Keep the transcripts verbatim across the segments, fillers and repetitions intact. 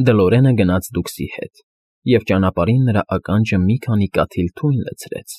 Դլորենը գնաց դուքսի հետ, և ճանապարհին նրա ականջը մի քանի կաթիլ թույն լցրեց,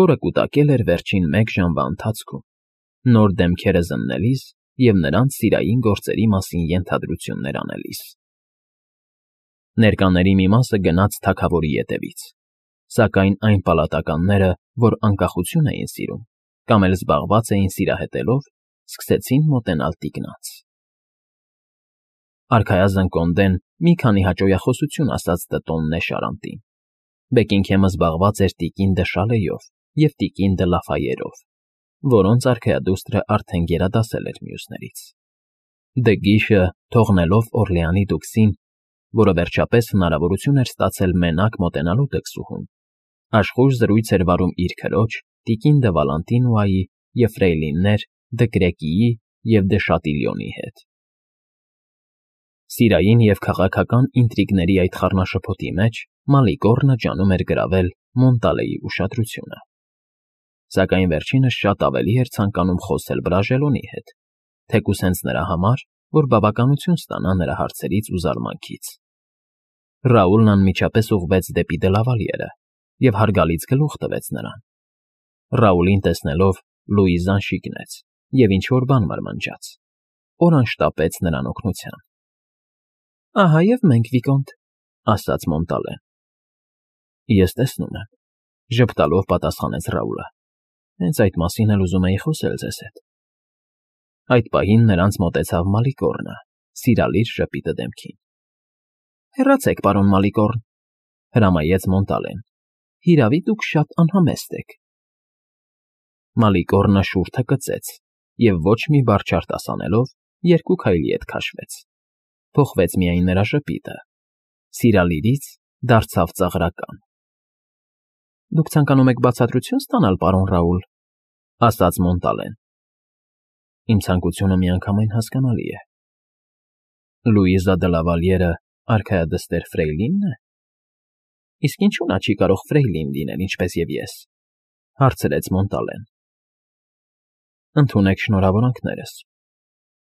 որը կուտակել էր վերջին մեկ ժամվա ընթացքում, նոր դեմքերը զննելիս և նրանց սիրային գործերի մասին ենթադրություններ անելիս։ Ներկաների մի մասը գնաց թագավորի ետևից, սակայն այն պալատականները, որ անկախություն էին սիրում կամ էլ զբաղված էին սիրահետելով, սկսեցին մոտենալ տիկնաց։ Արքայազն Կոնդեն մի քանի հաճոյախոսություն ասաց Տրտոն Նեշարանտին. Բեքինգհեմը զբաղված էր տիկին դը Շալեյով և տիկին դը Լաֆայերով, որոնց արքայադուստրը արդեն գերադասել էր մյուսներից։ Դը Գիշը, թողնելով Օրլեանի դուքսին, որը վերջապես հնարավորություն էր ստացել մենակ մոտենալու դքսուհուն, աշխույժ զրույց էր վարում իր քրոջ, տիկին դը Վալանտինոյի և ֆրեյլիններ դը Կրեկիի և դը Շատիլյոնի հետ։ Սիրային և քաղաքական ինտրիգների այդ խառնաշփոթի մեջ Մալիկոռնը ջանում էր գրավել Մոնտալեի ուշադրությունը։ Սակայն վերջինս շատ ավելի էր ցանկանում խոսել Բրաժելոնի հետ, թեկուզ հենց նրա համար, որ բավականություն ստանա նրա հարցերից ու զարմանքից։ Ռաուլն անմիջապես ուղղվեց դեպի Դլավալիերը և հարգալից գլուխ տվեց նրան։ Ռաուլին տեսնելով՝ Լուիզան շիկնեց և ինչ֊որ բան մրմնջաց, որն շտապեց նրան օգնության։ ֊ Ահա և մենք, Վիկոնտ,֊ ասաց Մոնտալեն։ ֊ Ես տեսնում եմ,֊ ժպտալով պատասխանեց Ռաուլը։֊ Հենց այդ մասին էլ ուզում էի խոսել ձեզ հետ։ Այդ պահին նրանց մոտեցավ Մալիկոռնը, սիրալիր ժպիտը դեմքին։ ֊ Հեռացեք, պարոն Մալիկոռն,֊ հրամայեց Մոնտալեն։֊ Հիրավի, դուք շատ անհամեստ եք։ Մալիկոռնը շուրթը կծեց և ոչ մի բառ չարտասանելով երկու քայլի հետ քաշվեց, փոխվեց միայն նրա ժպիտը, սիրալիրից դարձավ ծաղրական։ ֊ Դուք ցանկանում եք բացատրություն ստանալ, պարոն Ռաուլ,֊ ասաց Մոնտալեն։ ֊ Իմ ցանկությունը միանգամայն հասկանալի է։ Լուիզա դը Լավալիերը արքայադստեր Ֆրեյլի՞նն է։ ֊ Իսկ ինչու նա չի կարող Ֆրեյլին լինել, ինչպես և ես,֊ հարցրեց Մոնտալեն։ ֊ Ընդունեք շնորհավորանքներս։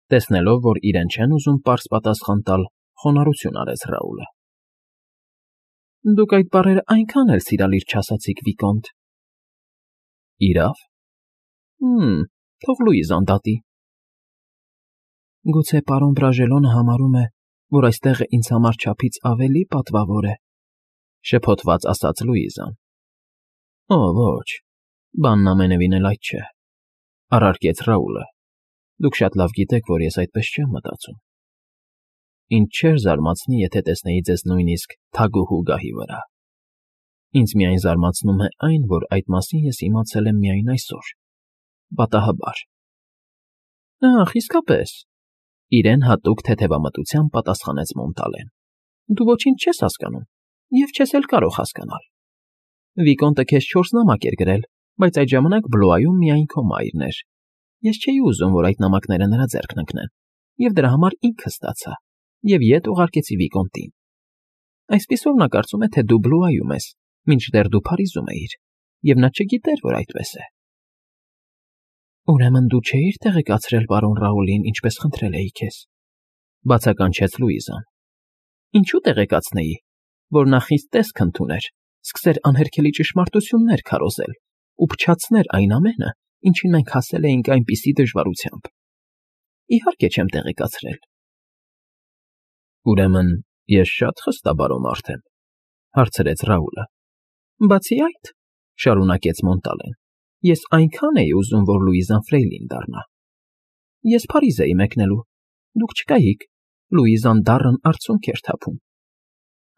Տեսնելով, որ իրեն չեն ուզում պարզ պատասխան տալ, խոնարհություն արեց Ռաուլը։ ֊ Դուք այդ բառերը այնքան էլ սիրալիր չասացիք, Վիկոնտ։ ֊ Իրավ։ Հը՛մ, թող Լուիզան դատի։ Գուցե պարոն Բրաժելոնը համարում է, որ այս տեղը ինձ համար չափից ավելի պատվավոր է,֊ շփոթված ասաց Լուիզան։ ֊ Օ, ոչ, բանն ամենևին էլ այդ չէ,֊ առարկեց Ռաուլը։ Դուք շատ լավ գիտեք, որ ես այդպես չեմ մտածում։ Ինձ չէր զարմացնի, եթե տեսնեի ձեզ նույնիսկ թագուհու գահի վրա։ Ինձ միայն զարմացնում է այն, որ այդ մասին ես իմացել եմ միայն այսօր, պատահաբար։ ֊ Ախ, իսկապես,֊ իրեն հատուկ թեթևամտությամբ պատասխանեց Մոնտալեն։֊ Դու ոչինչ չես հասկանում և չես էլ կարող հասկանալ։ Վիկոնտը քեզ չորս նամակ էր գրել, բայց այդ ժամանակ Բլոայում միայն քո մայրն էր։ Ես չէի ուզում, որ այդ նամակները նրա ձեռքն ընկնեն, և դրա համար ինքը ստացա և ետ ուղարկեցի Վիկոնտին։ Այսպիսով նա կարծում է, թե դու Բլուայում ես, մինչդեռ դու Փարիզում էիր, և նա չգիտեր, որ այդպես է։ ֊ Ուրեմն դու չէիր տեղեկացրել պարոն Ռաուլին, ինչպես խնդրել էի քեզ,֊ բացականչեց Լուիզան։ ֊ Ինչու տեղեկացնեի, որ նա խիստ տեսք ընդուներ, սկսեր անհերքելի ճշմարտություններ քարոզել ու փչացներ այն ամենը, ինչին մենք հասել էինք այնպիսի դժվարությամբ։ Իհարկե չեմ տեղեկացրել։ ֊ Ուրեմն ես շատ խստաբարո մարդ եմ,֊ հարցրեց Ռաուլը։ ֊ Բացի այդ,֊ շարունակեց Մոնտալեն,֊ ես այնքան էի ուզում, որ Լուիզան Ֆրեյլին դառնա։ Ես Փարիզ էի մեկնելու, դուք չկայիք, Լուիզան դառն արցունք էր թափում։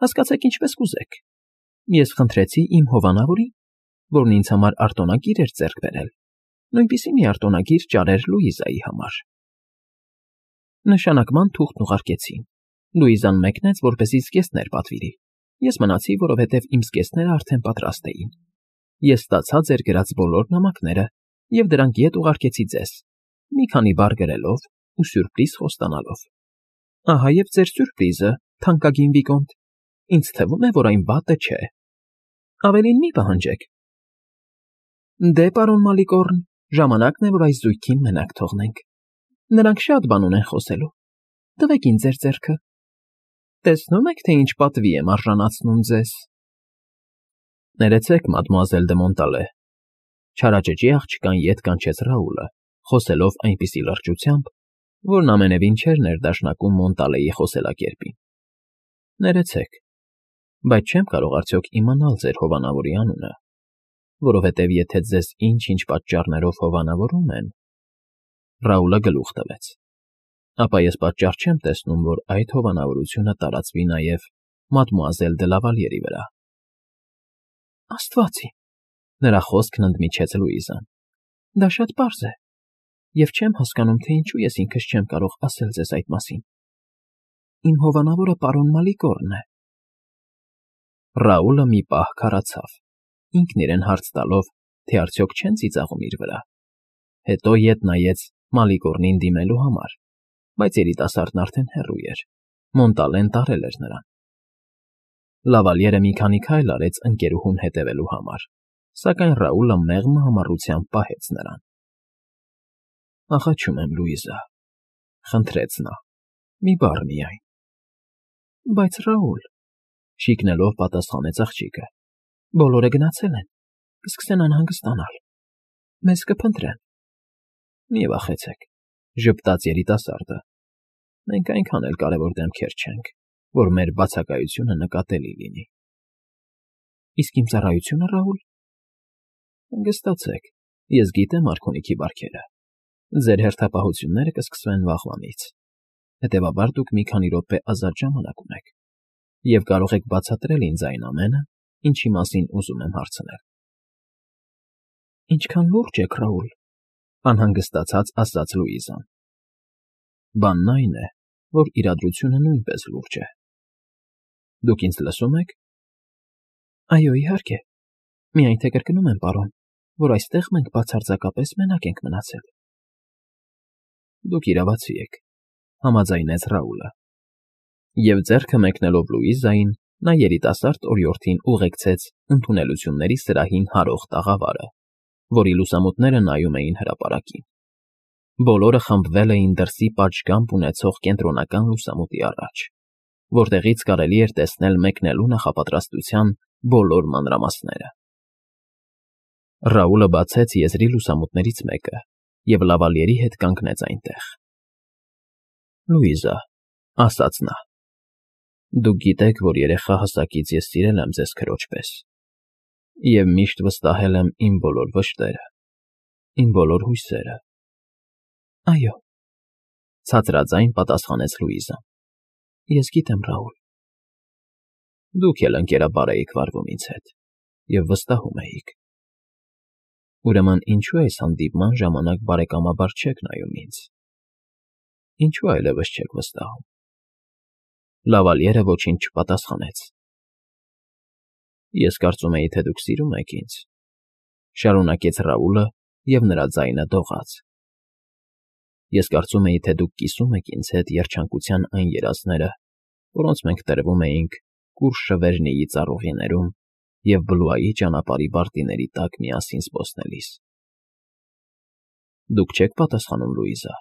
Հասկացեք ինչպես կուզեք։ Ես խնդրեցի իմ հովանավորին, որն ինձ համար արտոնագիր էր ձեռք բերել, նույնպիսի մի արտոնագիր ճարեր Լուիզայի համար։ Նշանակման թուղթն ուղարկեցին։ Լուիզան մեկնեց, որպեսզի զգեստներ պատվիրի։ Ես մնացի, որովհետև իմ զգեստները արդեն պատրաստ էին։ Ես ստացա ձեր գրած բոլոր նամակները և դրանք ետ ուղարկեցի ձեզ, մի քանի բառ գրելով ու սյուրպրիզ խոստանալով։ Ահա և ձեր սյուրպրիզը, թանկագին Վիկոնտ, ինձ թվում է, որ այն վատը չէ։ Ավելին մի պահանջեք։ ֊ Դե, պարոն Մալիկոռն, ժամանակն է, որ այս զույգին մենակ թողնենք։ Նրանք շատ բան ունեն խոսելու։ Տվեք ինձ ձեր ձեռքը։ Տեսնում եք, թե ինչ պատվի եմ արժանացնում ձեզ։ Ներեցեք, մադմուազել դե Մոնտալե, չարաճճի աղջկան ետ կանչեց Ռաուլը, խոսելով այնպիսի լրջությամբ, որն ամենևին չէր ներդաշնակում Մոնտալեի խոսելակերպին։ Ներեցեք, բայց չեմ կարող արդյոք իմանալ ձեր հովանավորի անունը, որովհետև եթե ձեզ ինչ֊ինչ պատճառներով հովանավորում են… Ռաուլը գլուխ տվեց։ Ապա ես պատճառ չեմ տեսնում, որ այդ հովանավորությունը տարածվի նաև մադմուազել դե Լավալյերի վրա։ Աստված իմ, նրա խոսքն ընդմիջեց Լուիզան։ Դա շատ պարզ է, և չեմ հասկանում, թե ինչու ես ինքս չեմ կարող ասել ձեզ այդ մասին։ Իմ հովանավորը պարոն Մալիգորն է։ Ռաուլը մի պահ քարացավ, ինքն իրեն հարց տալով, թե արդյոք չեն ծիծաղում իր վրա։ Հետո ետ նայեց Մալիգորնին դիմելու համար, բայց երիտասարդն արդեն հեռու էր, Մոնտալեն տարել էր նրան։ Լավալյերը մի քանի քայլ արեց ընկերուհուն հետևելու համար, սակայն Ռաուլը մեղմ համառությամբ պահեց նրան։ Աղաչում եմ, Լուիզա, խնդրեց նա, մի բառ միայն։ Բայց Ռաուլ, շիկնելով պատասխանեց աղջիկը, բոլորը գնացել են, կսկսեն անհանգստանալ, մեզ կփնտրեն։ Մի վախեցեք, ժպտաց երիտասարդը, մենք այնքան էլ կարևոր դեմքեր չենք, որ մեր բացակայությունը նկատելի լինի։ Իսկ իմ ծառայությունը, Ռաուլ… Հանգստացեք, ես գիտեմ արքունիքի բարքերը։ Ձեր հերթապահությունները կսկսվեն վաղվանից, հետևաբար դուք մի քանի րոպե ազատ ժամանակ ունեք և կարող եք բացատրել ինձ այն ամենը, ինչի մասին ուզում եմ հարցնել։ Ինչքան լուրջ եք, Ռաուլ, անհանգստացած ասաց Լուիզան։ Բանն այն է, որ իրադրությունը նույնպես լուրջ է։ Դուք ինձ լսում եք։ Այո, իհարկե, միայն թե կրկնում եմ, պարոն, որ այստեղ մենք բացարձակապես մենակ ենք մնացել։ Դուք իրավացի եք, համաձայնեց Ռաուլը։ Եվ ձեռքը մեկնելով Լուիզային, նա երիտասարդ օրիորդին ուղեկցեց ընդունելությունների սրահին հարող տաղավարը, որի լուսամուտները նայում էին հրապարակին։ Բոլորը խմբվել էին դրսի պատշգամբ ունեցող կենտրոնական լուսամուտի առաջ, որտեղից կարելի էր տեսնել մեկնելու նախապատրաստության բոլոր մանրամասները։ Ռաուլը բացեց եզրի լուսամուտներից մեկը և Լավալյերի հետ կանգնեց այնտեղ։ Լուիզա, ասաց նա, դուք գիտեք, որ երեխա հասակից ես սիրել եմ ձեզ քրոջ պես և միշտ վստահել եմ իմ բոլոր վշտերը, իմ բոլոր հույսերը։ Այո, ցածրաձայն պատասխանեց Լուիզան, ես գիտեմ, Ռաուլ։ Դուք էլ ընկերաբար էիք վարվում ինձ հետ և վստահում էիք։ Ուրեմն ինչու այս հանդիպման ժամանակ բարեկամաբար չեք նայում ինձ։ Ինչու այլևս չեք վստահում։ Լավալյերը ոչինչ չպատասխանեց։ Ես կարծում էի, թե դուք սիրում եք ինձ, շարունակեց Ռաուլը, և նրա ձայնը դողաց։ Ես կարծում էի, թե դուք կիսում եք ինձ հետ երջանկության այն երազները, որոնց մենք տրվում էինք Կուր Շվերնիի ծառուղիներում և Բլուայի ճանապարհի բարտիների տակ միասին զբոսնելիս։ Դուք չեք պատասխանում, Լուիզա։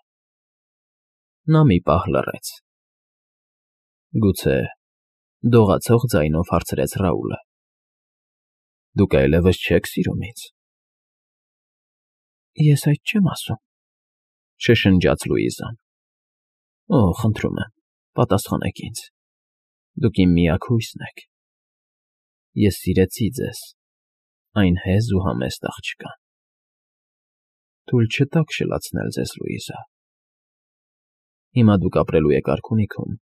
Նա մի պահ լռեց։ Գուցե, դողացող ձայնով հարցրեց Ռաուլը. Դուք այլևս չեք սիրում ինձ։ Ես այդ չեմ ասում, շշնջաց Լուիզան։ Օ, խնդրում եմ, պատասխանեք ինձ։ Դուք իմ միակ հույսն եք։ Ես սիրեցի ձեզ, այն հեզ ու համեստ աղջկան։ Թույլ չտաք շլացնել ձեզ, Լուիզա։ Հիմա դուք ապրելու եք արքունիքում,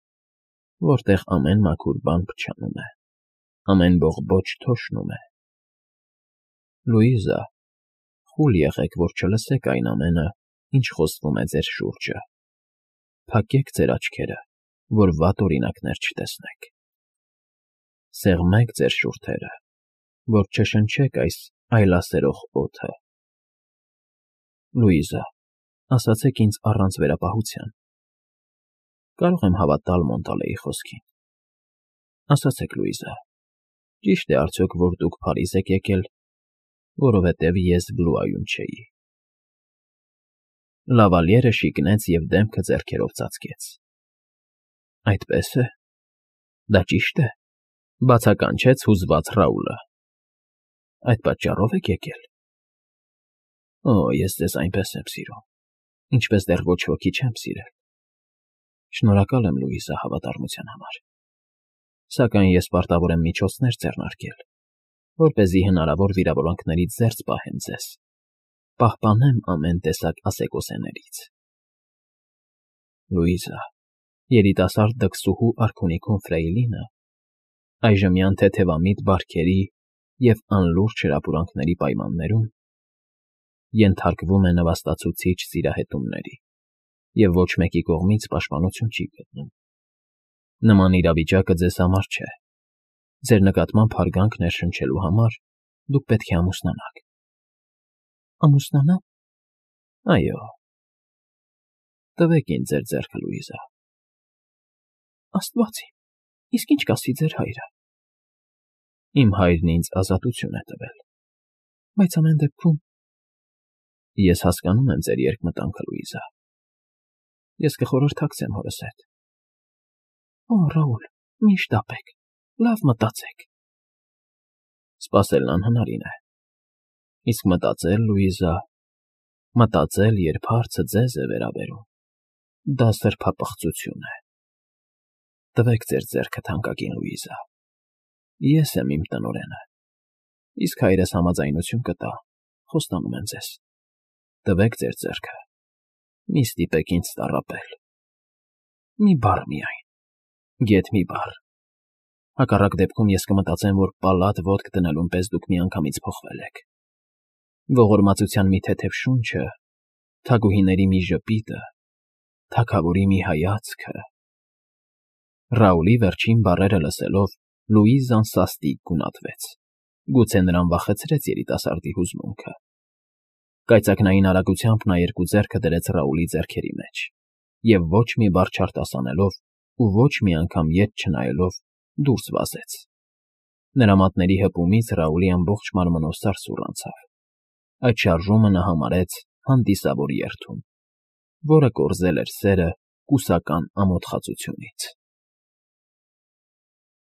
որտեղ ամեն մաքուր բան փչանում է, ամեն բողբոջ թոշնում է։ Լուիզա, խուլ եղեք, որ չլսեք այն ամենը, ինչ խոսվում է ձեր շուրջը։ Փակեք ձեր աչքերը, որ վատ օրինակներ չտեսնեք։ Սեղմեք ձեր շուրթերը, որ չշնչեք այս այլասերող օդը։ Լուիզա, ասացեք ինձ առանց վերապահության։ Կարող եմ հավատալ Մոնտալեի խոսքին։ Ասացեք, Լուիզա, ճի՞շտ է արդյոք, որ դուք Փարիզ եք եկել, որովհետև ես Բլուայում չէի։ Լավալյերը շիկնեց և դեմքը ձեռքերով ծածկեց։ Այդպե՞ս է։ Դա ճիշտ է,֊ բացականչեց հուզված Ռաուլը։ Այդ պատճառո՞վ եք եկել։ Օ, ես ձեզ այնպես եմ սիրում, ինչպես դեռ ոչ ոքի չեմ սիրել։ Շնորհակալ եմ, Լուիզա, հավատարմության համար, սակայն ես պարտավոր եմ միջոցներ ձեռնարկել, որպեսզի հնարավոր վիրավորանքներից զերծ պահեմ ձեզ, պահպանեմ ամեն տեսակ ասեկոսեներից։ Լուիզա, երիտասարդ դքսուհու արքունիքում Ֆրեյլինը այժմյան թեթևամիտ բարքերի և անլուրջ հրապուրանքների պայմաններում ենթարկվում է նվաստացուցիչ սիրահետումների և ոչ մեկի կողմից պաշտպանություն չի գտնում։ Նման իրավիճակը ձեզ համար չէ։ Ձեր նկատմամբ հարգանք ներշնչելու համար դուք պետք է ամուսնանաք։ Ամուսնանա՞մ։ Այո։ Տվեք ինձ ձեր ձեռքը, Լուիզա։ Աստված իմ, իսկ ինչ կասի ձեր հայրը։ Իմ հայրն ինձ ազատություն է տվել։ Բայց ամեն դեպքում… Ես հասկանում եմ ձեր երկմտանքը, Լուիզա։ Ես կխորհրդակցեմ հորս հետ։ Օ, Ռաուլ, մի՛ շտապեք, լավ մտածեք։ Սպասելն անհնարին է։ Իսկ մտածել, Լուիզա, մտածել, երբ հարցը ձեզ է վերաբերում, դա սրբապղծություն է։ Տվեք ձեր ձեռքը, թանկագին Լուիզա։ Ես եմ իմ տնօրենը, իսկ հայրս համաձայնություն կտա, խոստանում եմ ձեզ։ Տվեք ձեր ձեռքը, մի ստիպեք ինձ տառապել։ Մի բառ միայն, գեթ մի բառ։ Հակառակ դեպքում ես կմտածեմ, որ պալատ ոտք դնելուն պես դուք միանգամից փոխվել եք։ Ողորմածության մի թեթև շունչը, թագուհիների մի ժպիտը, թագավորի մի հայացքը… Ռաուլի վերջին բառերը լսելով Լուիզան սաստիկ գունատվեց, գուցե նրան վախեցրեց երիտասարդի հուզմունքը։ Կայծակնային արագությամբ նա երկու ձեռքը դրեց Ռաուլի ձեռքերի մեջ և ոչ մի բառ չարտասանելով ու ոչ մի անգամ ետ չնայելով դուրս վազեց։ Նրա մատների հպումից Ռաուլի ամբողջ մարմնով սարսուռ անցավ։ Այդ շարժումը նա համարեց հանդիսավոր երդում, որը կորզել էր սերը կուսական ամոթխածությունից։